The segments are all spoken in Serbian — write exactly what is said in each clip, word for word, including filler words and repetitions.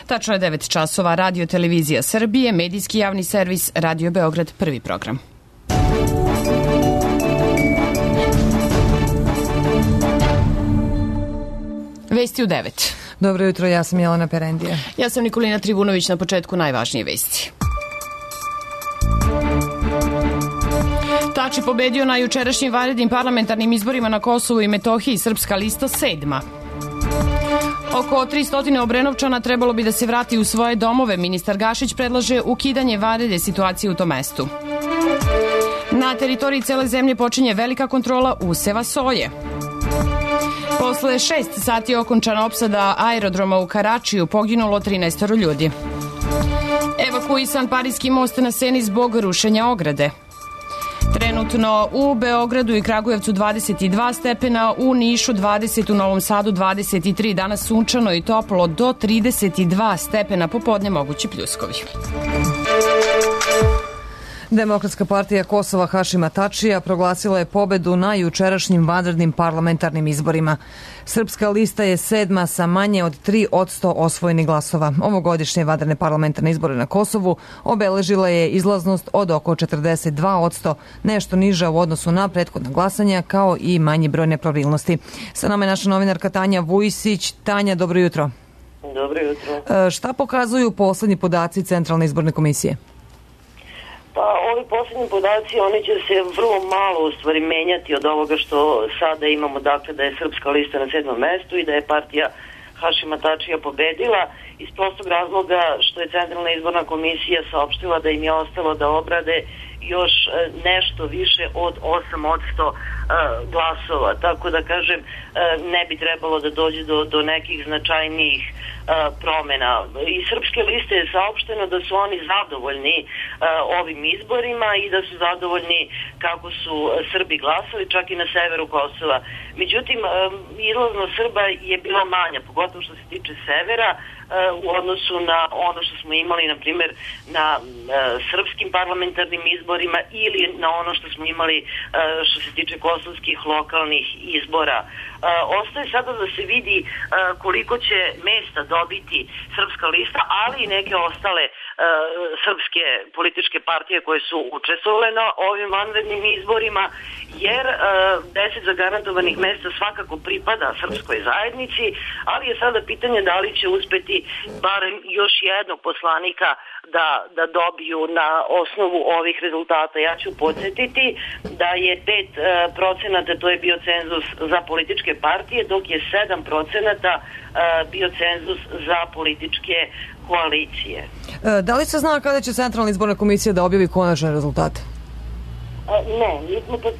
Tačno je devet časova. Radio Televizija Srbije, medijski javni servis, Radio Beograd, prvi program. Vesti u devet. Dobro jutro, ja sam Jelena Perendija. Ja sam Nikolina Trivunović, na početku najvažnije vesti. Tači pobedio na jučerašnjim vanrednim parlamentarnim izborima na Kosovu i Metohiji, Srpska lista sedma. Oko tristo Obrenovčana trebalo bi da se vrati u svoje domove. Ministar Gašić predlaže ukidanje vanredne situacije u tom mestu. Na teritoriji cele zemlje počinje velika kontrola useva soje. Posle šest sati okončana opsada aerodroma u Karačiju, poginulo trinaest ljudi. Evakuisan Pariski most na Seni zbog rušenja ograde. Trenutno u Beogradu i Kragujevcu dvadeset dva stepena, u Nišu dvadeset, u Novom Sadu dvadeset tri, danas sunčano i toplo do trideset dva stepena, popodne mogući pljuskovi. Demokratska partija Kosova Hašima Tačija proglasila je pobedu na jučerašnjim vanrednim parlamentarnim izborima. Srpska lista je sedma sa manje od tri posto osvojenih glasova. Ovogodišnje vanredne parlamentarne izbore na Kosovu obeležila je izlaznost od oko četrdeset dva posto, nešto niža u odnosu na prethodna glasanja, kao i manji broj nepravilnosti. Sa nama je naša novinarka Tanja Vujsić. Tanja, dobro jutro. Dobro jutro. E, šta pokazuju poslednji podaci Centralne izborne komisije? Pa ovi posljednji podaci, oni će se vrlo malo u stvari menjati od ovoga što sada imamo, dakle da je Srpska lista na sedmom mestu i da je partija Hašima Tačija pobedila, iz prostog razloga što je Centralna izborna komisija saopštila da im je ostalo da obrade još nešto više od osam posto glasova, tako da kažem ne bi trebalo da dođe do, do nekih značajnijih promjena. Iz Srpske liste je saopšteno da su oni zadovoljni ovim izborima i da su zadovoljni kako su Srbi glasali, čak i na severu Kosova. Međutim, izlaznost Srba je bila manja, pogotovo što se tiče severa, u odnosu na ono što smo imali, na primjer, na srpskim parlamentarnim izborima ili na ono što smo imali što se tiče kosovskih lokalnih izbora. Ostaje sada da se vidi koliko će mesta dobiti Srpska lista, ali i neke ostale srpske političke partije koje su učestvovale na ovim vanrednim izborima, jer deset zagarantovanih mesta svakako pripada srpskoj zajednici, ali je sada pitanje da li će uspeti barem još jednog poslanika da, da dobiju na osnovu ovih rezultata. Ja ću podsjetiti da je pet procenata, to je bio cenzus za političke partije, dok je sedam procenata bio cenzus za političke koalicije. Da li se zna kada će Centralna izborna komisija da objavi konačne rezultate? Ne, mi smo to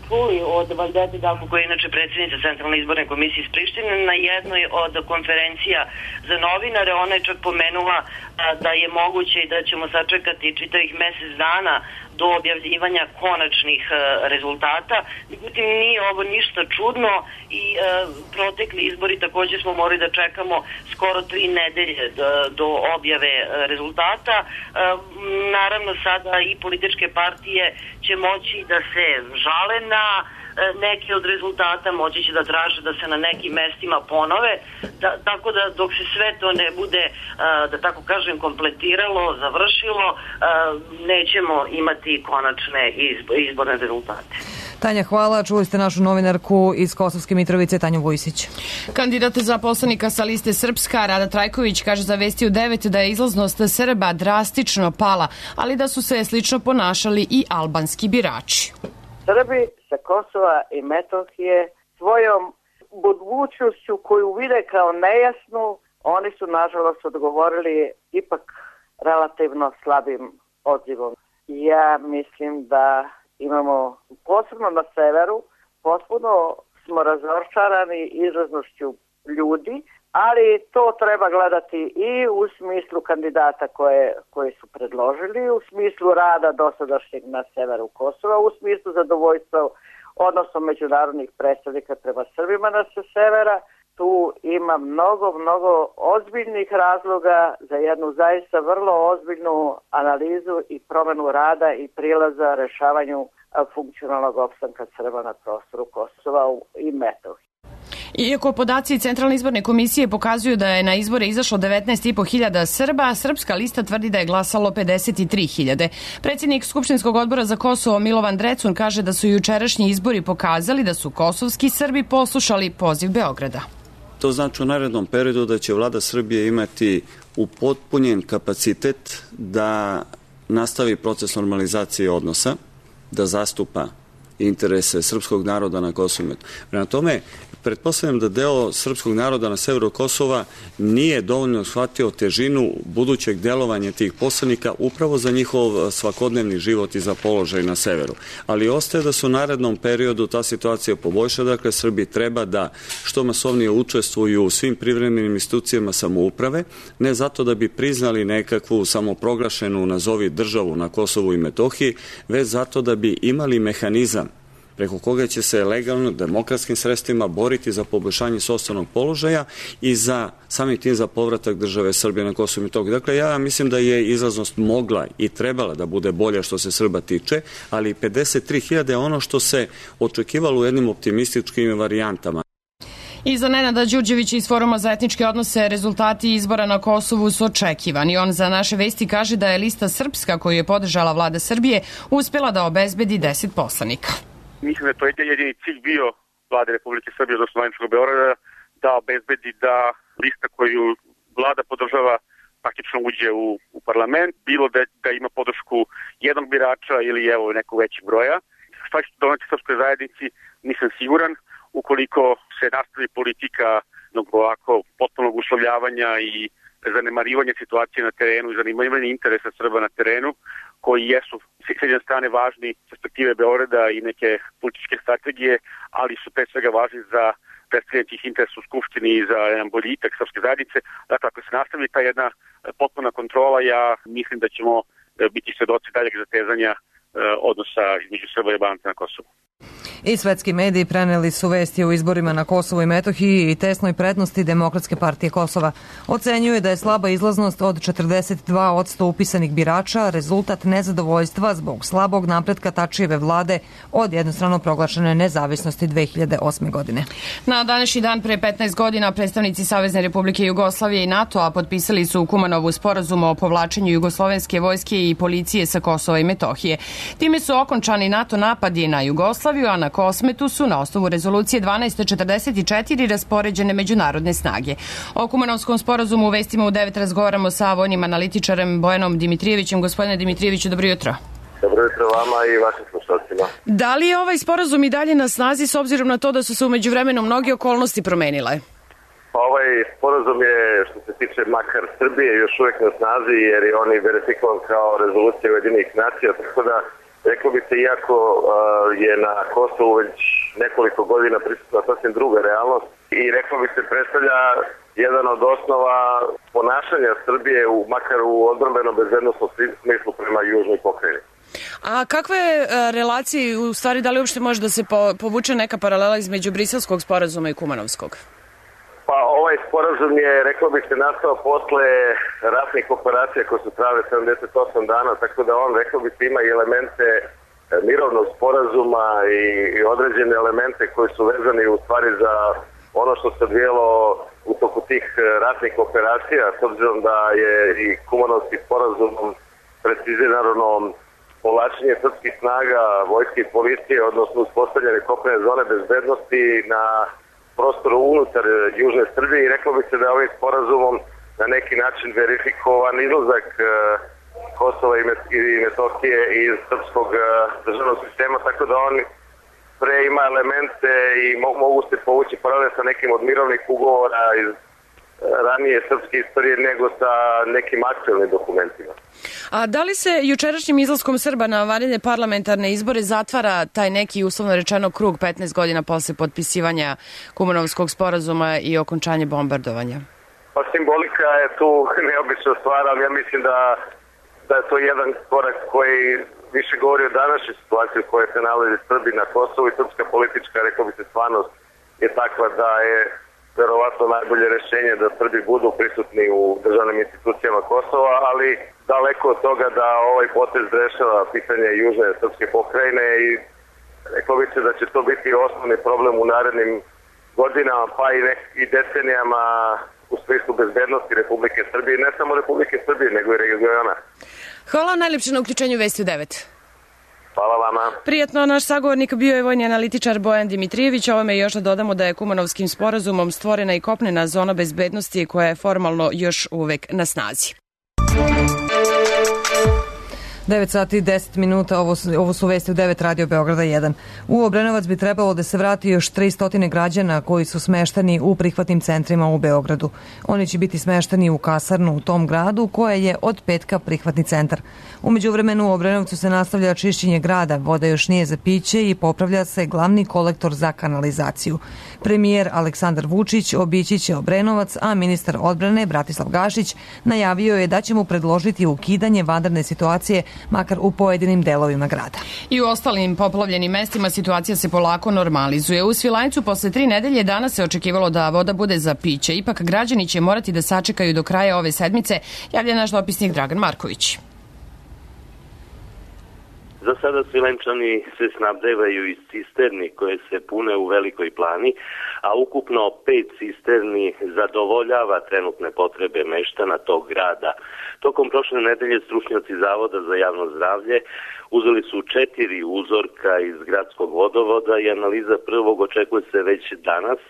čuli od Valdete Dalko, koja je inače predsjednica Centralne izborne komisije iz Prištine, na jednoj od konferencija za novinare. Ona je čak pomenula da je moguće i da ćemo sačekati čitavih mesec dana do objavljivanja konačnih rezultata. Međutim, nije ovo ništa čudno i protekli izbori također smo morali da čekamo skoro tri nedelje do objave rezultata. Naravno, sada i političke partije će moći da se žale na neke od rezultata, moći će da traže da se na nekim mestima ponove, da, tako da dok se sve to ne bude, da tako kažem, kompletiralo, završilo, nećemo imati konačne izborne rezultate. Tanja, hvala. Čuli ste našu novinarku iz Kosovske Mitrovice, Tanju Vujsić. Kandidat za poslanika sa liste Srpska, Rada Trajković, kaže za Vesti u devet da je izlaznost Srba drastično pala, ali da su se slično ponašali i albanski birači. Srbi sa Kosova i Metohije svojom budućnošću koju vide kao nejasnu, oni su nažalost odgovorili ipak relativno slabim odzivom. Ja mislim da imamo, posebno na severu, potpuno smo razočarani izlaznošću ljudi, ali to treba gledati i u smislu kandidata koje, koje su predložili, u smislu rada dosadašnjeg na severu Kosova, u smislu zadovoljstva odnosno međunarodnih predstavnika prema Srbima na sa severa. Tu ima mnogo, mnogo ozbiljnih razloga za jednu zaista vrlo ozbiljnu analizu i promjenu rada i prilaza rešavanju funkcionalnog opstanka Srba na prostoru Kosova i Metohije. Iako podaci Centralne izborne komisije pokazuju da je na izbore izašlo devetnaest i po hiljada Srba, Srpska lista tvrdi da je glasalo pedeset tri hiljade. Predsjednik Skupštinskog odbora za Kosovo Milovan Drecun kaže da su jučerašnji izbori pokazali da su kosovski Srbi poslušali poziv Beograda. To znači u narednom periodu da će vlada Srbije imati upotpunjen kapacitet da nastavi proces normalizacije odnosa, da zastupa interese srpskog naroda na Kosovu i Metohiji. Prema tome, pretpostavljam da deo srpskog naroda na severu Kosova nije dovoljno shvatio težinu budućeg delovanja tih poslanika upravo za njihov svakodnevni život i za položaj na severu. Ali ostaje da se u narednom periodu ta situacija poboljša, dakle Srbi treba da što masovnije učestvuju u svim privremenim institucijama samouprave, ne zato da bi priznali nekakvu samoproglašenu nazovi državu na Kosovu i Metohiji, već zato da bi imali mehanizam preko koga će se legalno, demokratskim sredstvima boriti za poboljšanje sopstvenog položaja i za samim tim za povratak države Srbije na Kosovo i Metohiju. Dakle, ja mislim da je izlaznost mogla i trebala da bude bolja što se Srba tiče, ali pedeset tri hiljade je ono što se očekivalo u jednim optimističkim varijantama. I za Nenada Đurđevića iz Foruma za etničke odnose rezultati izbora na Kosovu su očekivani. On za naše vesti kaže da je lista Srpska koju je podržala vlada Srbije uspjela da obezbedi deset poslanika. Mislim da to je jedini cilj bio vlade Republike Srbije, odnosno Vojničkog Beograda, da obezbedi da lista koju vlada podržava praktično uđe u, u parlament, bilo da, da ima podršku jednog birača ili evo nekog većeg broja. Šta će doneti srpskoj zajednici, nisam siguran. Ukoliko se nastavi politika ovako potpunog uslovljavanja i zanemarivanja situacije na terenu i zanemarivanja interesa Srba na terenu, koji jesu s jedne strane važni perspektive Beograda i neke političke strategije, ali su pre svega važni za predstavljanje tih interesa u Skupštini i za jedan boljitak srpske zajednice. Dakle, ako se nastavi ta jedna potpuna kontrola, ja mislim da ćemo biti svedoci daljeg zatezanja odnosa između Srba i Albanaca na Kosovu. I svetski mediji preneli su vesti o izborima na Kosovu i Metohiji i tesnoj prednosti Demokratske partije Kosova. Ocenjuje da je slaba izlaznost od četrdeset dva posto upisanih birača rezultat nezadovoljstva zbog slabog napretka Tačijeve vlade od jednostrano proglašene nezavisnosti dve hiljade osme. godine. Na današnji dan pre petnaest godina predstavnici Savezne Republike Jugoslavije i NATO-a potpisali su u Kumanovu sporazum o povlačenju jugoslovenske vojske i policije sa Kosova i Metohije. Time su okončani NATO napadi na Jugoslaviju, a na Kosmetu su na osnovu rezolucije dvanaest četrdeset četiri raspoređene međunarodne snage. O Kumanovskom sporazumu u vestima u devet razgovaramo sa vojnim analitičarem Bojanom Dimitrijevićem. Gospodine Dimitrijeviću, dobro jutro. Dobro jutro vama i vašim slušalcima. Da li je ovaj sporazum i dalje na snazi s obzirom na to da su se u međuvremenu mnoge okolnosti promenile? Pa ovaj sporazum je, što se tiče makar Srbije, još uvijek na snazi jer je on i verifikovan kao rezolucija Ujedinjenih nacija, tako da reklo bi se, iako uh, je na Kosovu već nekoliko godina prisutna sasvim druga realnost i reklo bi se predstavlja jedan od osnova ponašanja Srbije u, makar u odbrambenom bezbednosnom smislu prema južnoj pokrajini. A kakve uh, relacije, u stvari da li uopšte može da se po, povuče neka paralela između Briselskog sporazuma i Kumanovskog? Pa ovaj sporazum je, reklo bi se, nastao posle ratnih operacija koje su trajale sedamdeset osam dana, tako da on, reklo bi se, ima i elemente mirovnog sporazuma i, i određene elemente koji su vezani u stvari za ono što se odvijelo u toku tih ratnih operacija, s obzirom da je i Kumanovski sporazumom precizirano povlačenje srpskih snaga, vojske i policije, odnosno uspostavljene kopnene zone bezbednosti na prostoru unutar južne Srbije i reklo bi se da je ovim sporazumom na neki način verifikovan izlazak Kosova i Metohije iz srpskog državnog sistema, tako da on pre ima elemente i mogu se povući paralel sa nekim od mirovnih ugovora iz ranije srpske istorije nego sa nekim aktuelnim dokumentima. A da li se jučerašnjim izlaskom Srba na vanredne parlamentarne izbore zatvara taj neki, uslovno rečeno, krug petnaest godina posle potpisivanja Kumanovskog sporazuma i okončanje bombardovanja? Pa simbolika je tu neobična stvar, ali ja mislim da, da je to jedan korak koji više govori o današnjoj situaciji u kojoj se nalazi Srbi na Kosovu i srpska politička, rekao bi se, stvarnost je takva da je verovatno najbolje rešenje da Srbi budu prisutni u državnim institucijama Kosova, ali daleko od toga da ovaj potez rešava pitanje južne srpske pokrajine i rekao bi se da će to biti osnovni problem u narednim godinama pa i, nek, i decenijama u smislu bezbednosti Republike Srbije, ne samo Republike Srbije, nego i regiona. Hvala najlepše na uključenju Vesti u devet. Hvala vama. Prijetno, naš sagovornik bio je vojni analitičar Bojan Dimitrijević. Ovome još da dodamo da je Kumanovskim sporazumom stvorena i kopnena zona bezbednosti koja je formalno još uvek na snazi. devet sati i deset minuta, ovo su, ovo su vesti u devet Radio Beograda jedan. U Obrenovac bi trebalo da se vrati još tristo građana koji su smešteni u prihvatnim centrima u Beogradu. Oni će biti smešteni u kasarnu u tom gradu koja je od petka prihvatni centar. U međuvremenu u Obrenovcu se nastavlja čišćenje grada, voda još nije za piće i popravlja se glavni kolektor za kanalizaciju. Premijer Aleksandar Vučić obići će Obrenovac, a ministar odbrane Bratislav Gašić najavio je da će mu predložiti ukidanje vanredne situacije makar u pojedinim delovima grada. I u ostalim poplavljenim mestima situacija se polako normalizuje. U Svilajncu posle tri nedelje danas se očekivalo da voda bude za piće. Ipak građani će morati da sačekaju do kraja ove sedmice, javlja naš dopisnik Dragan Marković. Za sada Svilajnčani se snabdevaju iz cisterni koje se pune u Velikoj Plani, a ukupno pet cisterni zadovoljava trenutne potrebe meštana tog grada. Tokom prošle nedelje stručnjaci Zavoda za javno zdravlje uzeli su četiri uzorka iz gradskog vodovoda i analiza prvog očekuje se već danas,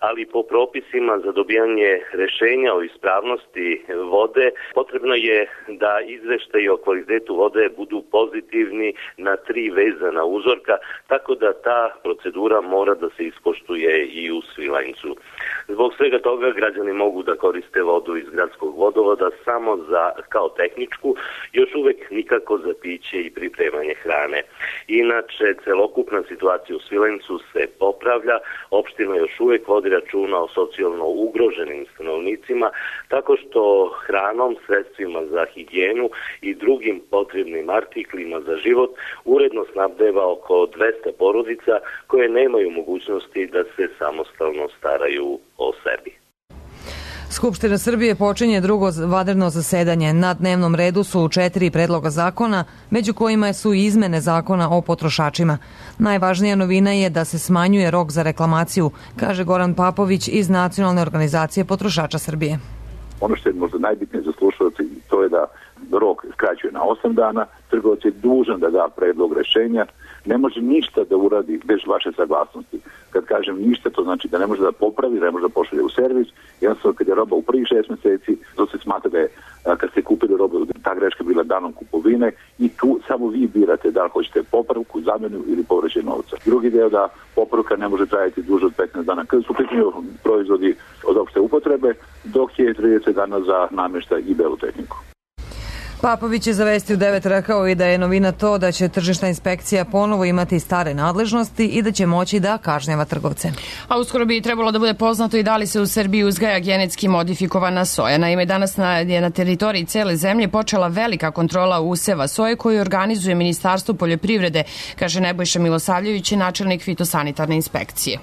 ali po propisima za dobijanje rešenja o ispravnosti vode potrebno je da izveštaji o kvalitetu vode budu pozitivni na tri vezana uzorka, tako da ta procedura mora da se ispoštuje i u Svilajncu. Zbog svega toga građani mogu da koriste vodu iz gradskog vodovoda samo za kao tehničku, još uvek nikako za piće i pripremanje hrane. Inače, celokupna situacija u Svilajncu se popravlja, opština još uvek vodi računa o socijalno ugroženim stanovnicima, tako što hranom, sredstvima za higijenu i drugim potrebnim artiklima za život uredno snabdeva oko dvesta porodica koje nemaju mogućnosti da se samostalno staraju o sebi. Skupština Srbije počinje drugo vanredno zasedanje. Na dnevnom redu su četiri predloga zakona, među kojima su i izmene zakona o potrošačima. Najvažnija novina je da se smanjuje rok za reklamaciju, kaže Goran Papović iz Nacionalne organizacije potrošača Srbije. Ono što je možda najbitnije za slušalce, to je da rok skraćuje na osam dana, trgovac je dužan da da predlog rešenja, ne može ništa da uradi bez vaše saglasnosti. Kad kažem ništa, to znači da ne može da popravi, ne može da pošalje u servis. Jednostavno, kad je roba u prvih šest meseci, to se smatra da je, kad ste kupili robu, ta greška bila danom kupovine i tu samo vi birate da li hoćete popravku, zamenu ili povraćaj novca. Drugi deo da popravka ne može trajati duže od petnaest dana. Kada su pitanju proizvodi od opšte upotrebe, dok je trideset dana za namještaj i belu tehniku. Papović je za Vesti u devet rekao i da je novina to da će tržišna inspekcija ponovo imati stare nadležnosti i da će moći da kažnjava trgovce. A uskoro bi trebalo da bude poznato i da li se u Srbiji uzgaja genetski modifikovana soja. Naime, danas na, je na teritoriji cele zemlje počela velika kontrola useva soje koju organizuje Ministarstvo poljoprivrede, kaže Nebojša Milosavljević, načelnik fitosanitarne inspekcije.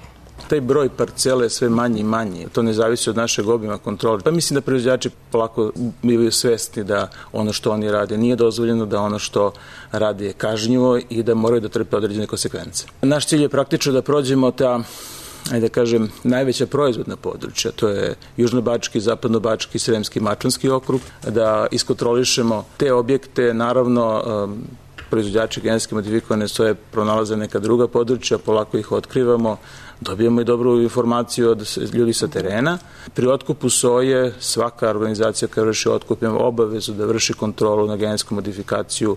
Taj broj parcele je sve manji i manji. To ne zavisi od našeg obima kontrole. Pa mislim da proizvođači polako bivaju svesni da ono što oni rade nije dozvoljeno, da ono što rade je kažnjivo i da moraju da trpe određene konsekvence. Naš cilj je praktično da prođemo ta, ajde da kažem, najveća proizvodna područja, to je Južnobački, Zapadnobački, Sremski, Mačvanski okrug, da iskontrolišemo te objekte, naravno proizvođači genetski modifikovane soje pronalaze neka druga područja, polako ih otkrivamo, dobijemo i dobru informaciju od ljudi sa terena. Pri otkupu soje svaka organizacija koja vrši otkup ima obavezu da vrši kontrolu na genetsku modifikaciju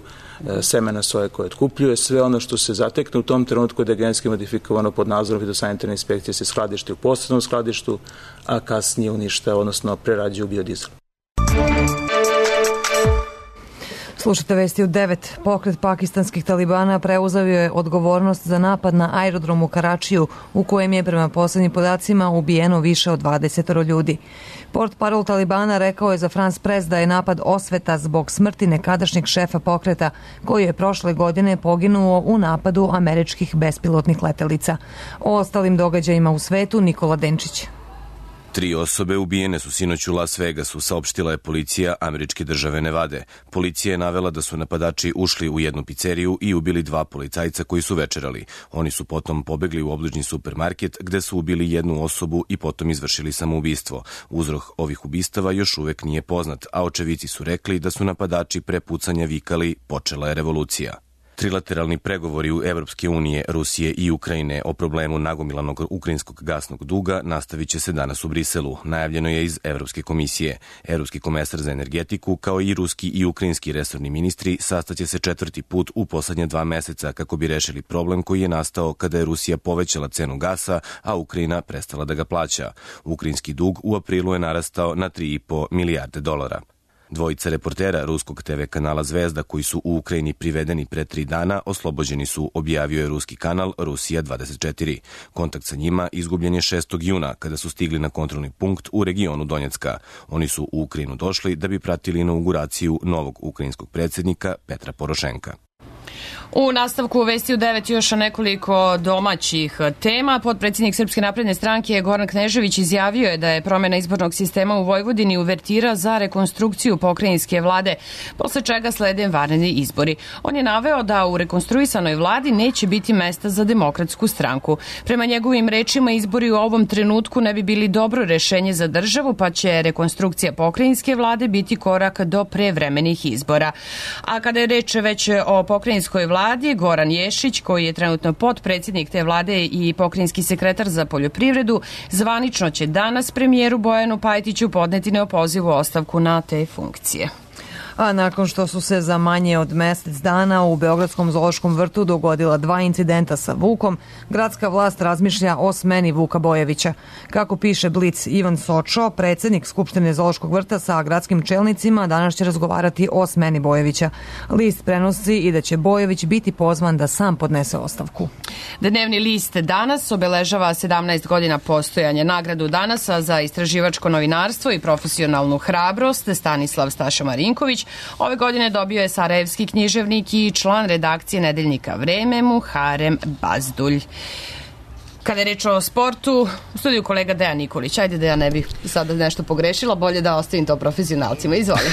semena soje koje otkupljuje. Sve ono što se zatekne u tom trenutku da je genetski modifikovano pod nadzorom fitosanitarne inspekcije se skladišti u posebnom skladištu, a kasnije uništava, odnosno prerađuje u biodizel. Slušajte Vesti u devet. Pokret pakistanskih talibana preuzeo je odgovornost za napad na aerodrom u Karačiju, u kojem je prema poslednjim podacima ubijeno više od dvadeset ljudi. Portparol Talibana rekao je za France Press da je napad osveta zbog smrti nekadašnjeg šefa pokreta, koji je prošle godine poginuo u napadu američkih bespilotnih letelica. O ostalim događajima u svetu Nikola Denčić. Tri osobe ubijene su sinoć u Las Vegasu, saopštila je policija američke države Nevade. Policija je navela da su napadači ušli u jednu pizzeriju i ubili dva policajca koji su večerali. Oni su potom pobegli u obližnji supermarket gde su ubili jednu osobu i potom izvršili samoubistvo. Uzrok ovih ubistava još uvek nije poznat, a očevici su rekli da su napadači pre pucanja vikali "Počela je revolucija". Trilateralni pregovori u Evropske unije, Rusije i Ukrajine o problemu nagomilanog ukrajinskog gasnog duga nastavit će se danas u Briselu, najavljeno je iz Evropske komisije. Evropski komesar za energetiku, kao i ruski i ukrajinski resorni ministri, sastaće se četvrti put u poslednje dva meseca kako bi rešili problem koji je nastao kada je Rusija povećala cenu gasa, a Ukrajina prestala da ga plaća. Ukrajinski dug u aprilu je narastao na tri i po milijarde dolara. Dvojica reportera ruskog te ve kanala Zvezda koji su u Ukrajini privedeni pre tri dana oslobođeni su, objavio je ruski kanal Rusija dvadeset četiri. Kontakt sa njima izgubljen je šestog juna kada su stigli na kontrolni punkt u regionu Donjecka. Oni su u Ukrajinu došli da bi pratili inauguraciju novog ukrajinskog predsjednika Petra Porošenka. U nastavku vesti u devet još nekoliko domaćih tema. Potpredsjednik Srpske napredne stranke Goran Knežević izjavio je da je promjena izbornog sistema u Vojvodini uvertira za rekonstrukciju pokrajinske vlade, posle čega slede vanredni izbori. On je naveo da u rekonstruisanoj vladi neće biti mesta za Demokratsku stranku. Prema njegovim rečima, izbori u ovom trenutku ne bi bili dobro rešenje za državu, pa će rekonstrukcija pokrajinske vlade biti korak do prevremenih izbora. A kada je reč već o pokrajinskoj vladi, vladi, Goran Ješić, koji je trenutno potpredsjednik te vlade i pokrajinski sekretar za poljoprivredu, zvanično će danas premijeru Bojanu Pajtiću podneti neopozivu ostavku na te funkcije. A nakon što su se za manje od mesec dana u Beogradskom zoološkom vrtu dogodila dva incidenta sa vukom, gradska vlast razmišlja o smeni Vuka Bojevića. Kako piše Blic, Ivan Sočo, predsjednik Skupštine zoološkog vrta sa gradskim čelnicima, danas će razgovarati o smeni Bojevića. List prenosi i da će Bojević biti pozvan da sam podnese ostavku. Dnevni list Danas obeležava sedamnaest godina postojanja. Nagradu Danasa za istraživačko novinarstvo i profesionalnu hrabrost Stanislav Staša Marinković ove godine dobio je sarajevski književnik i član redakcije nedeljnika Vreme Muharem Bazdulj. Kada je reč o sportu, u studiju kolega Dejan Nikolić. Ajde da ja ne bih sada nešto pogrešila, bolje da ostavim to profesionalcima. Izvoli.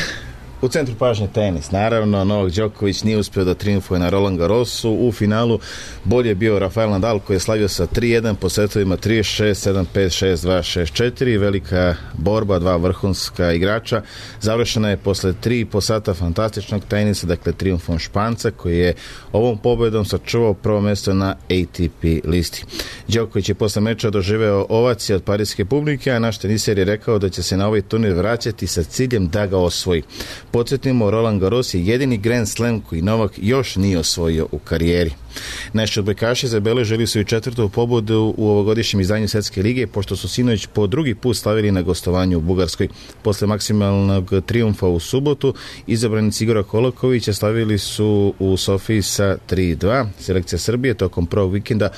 U centru pažnje tenis. Naravno, Novak Đoković nije uspio da triumfuje na Roland Garrosu. U finalu bolje je bio Rafael Nadal koji je slavio sa tri jedan po setovima tri šest, sedam pet, šest dva, šest četiri. Velika borba, dva vrhunska igrača. Završena je posle tri i po sata fantastičnog tenisa, dakle triumfom Španca koji je ovom pobedom sačuvao prvo mesto na A T P listi. Đoković je posle meča doživeo ovacije od parijske publike, a naš teniser je rekao da će se na ovaj turnir vraćati sa ciljem da ga osvoji. Podsjetimo, Roland Garros je jedini Grand Slam koji Novak još nije osvojio u karijeri. Naši odbojkaši zabeležili su i četvrtu pobedu u ovogodišnjem izdanju Svetske lige, pošto su sinoć po drugi put slavili na gostovanju u Bugarskoj. Posle maksimalnog triumfa u subotu, izabranici Igora Kolakovića slavili su u Sofiji sa tri dva. Selekcija Srbije tokom prvog vikenda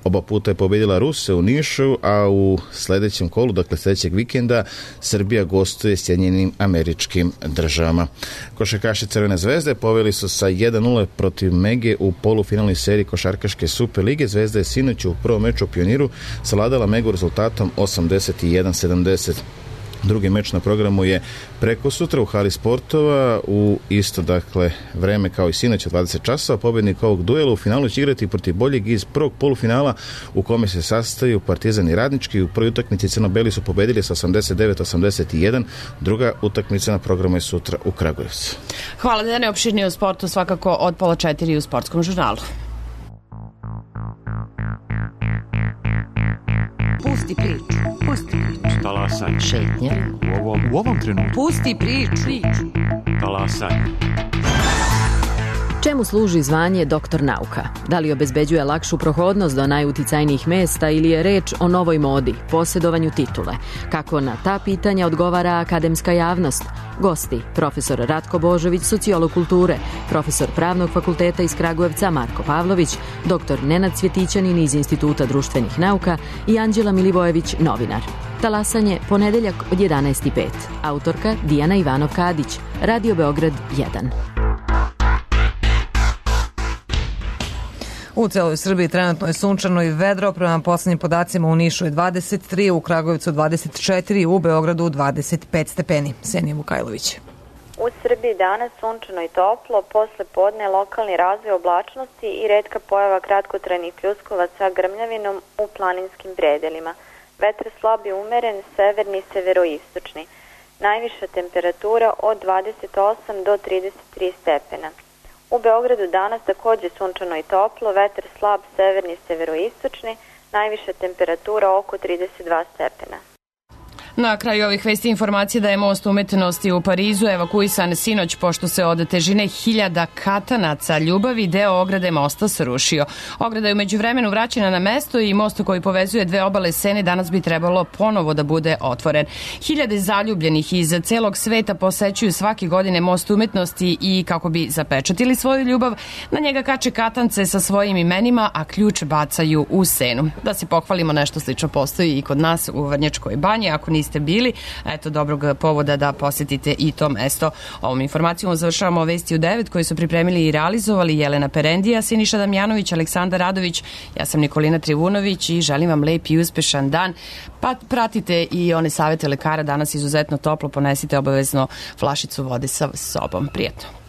oba puta je pobedila Ruse u Nišu, a u sledećem kolu, dakle sledećeg vikenda, Srbija gostuje Sjedinjenim Američkim Državama. Košarkaši Crvene zvezde poveli su sa jedan nula protiv Mege u polufinalnoj seriji košarkaške Super lige. Zvezda je sinoć u prvom meču u Pioniru savladala Megu rezultatom osamdeset jedan sedamdeset. Drugi meč na programu je preko sutra u hali sportova u isto dakle vreme kao i sinoć od dvadeset časova. Pobednik ovog duela u finalu će igrati protiv boljeg iz prvog polufinala u kome se sastaju Partizan i Radnički. U prvoj utakmici crno-beli su pobedili sa osamdeset devet osamdeset jedan. Druga utakmica na programu je sutra u Kragujevcu. Hvala da je neopširnije u sportu svakako od pola četiri u Sportskom žurnalu. Pusti priču, pusti priču. Talasaj. Šetnja. U ovom, u ovom trenutku. Pusti priču. Talasaj. Čemu služi zvanje doktor nauka? Da li obezbeđuje lakšu prohodnost do najuticajnijih mesta ili je reč o novoj modi, posjedovanju titule? Kako na ta pitanja odgovara akademska javnost? Gosti, profesor Ratko Božović, sociolog kulture, profesor Pravnog fakulteta iz Kragujevca Marko Pavlović, doktor Nenad Cvjetićanin iz Instituta društvenih nauka i Anđela Milivojević, novinar. Talasanje, ponedeljak od jedanaest i pet. Autorka Dijana Ivanov-Kadić, Radio Beograd jedan. U celoj Srbiji trenutno je sunčano i vedro, prema poslednjim podacima u Nišu je dvadeset tri, u Kragujevcu dvadeset četiri, u Beogradu dvadeset pet stepeni. Senija Vukajlović. U Srbiji danas sunčano i toplo, posle podne lokalni razvoj oblačnosti i retka pojava kratkotrajnih pljuskova sa grmljavinom u planinskim predelima. Vetar slab i umeren, severni, severoistočni. Najviša temperatura od dvadeset osam do trideset tri stepena. U Beogradu danas takođe sunčano i toplo, vetar slab, severni, severoistočni, najviša temperatura oko trideset dva stepena. Na kraju ovih vesti informacije da je most umetnosti u Parizu evakuisan sinoć pošto se od težine hiljada katanaca ljubavi deo ograde mosta srušio. Ograda je umeđu vremenu vraćena na mesto i most koji povezuje dve obale Sene danas bi trebalo ponovo da bude otvoren. Hiljade zaljubljenih iz celog sveta posećuju svake godine most umetnosti i kako bi zapečatili svoju ljubav, na njega kače katance sa svojim imenima, a ključ bacaju u Senu. Da se pohvalimo, nešto slično postoji i kod nas u Vrnjačkoj banji. Ako niste bili, eto dobrog povoda da posjetite i to mesto. Ovom informacijom završavamo vesti u devet koje su pripremili i realizovali Jelena Perendija, Siniša Damjanović, Aleksandar Radović, ja sam Nikolina Trivunović i želim vam lep i uspešan dan. Pa pratite i one savete lekara, danas izuzetno toplo, ponesite obavezno flašicu vode sa sobom. Prijetno.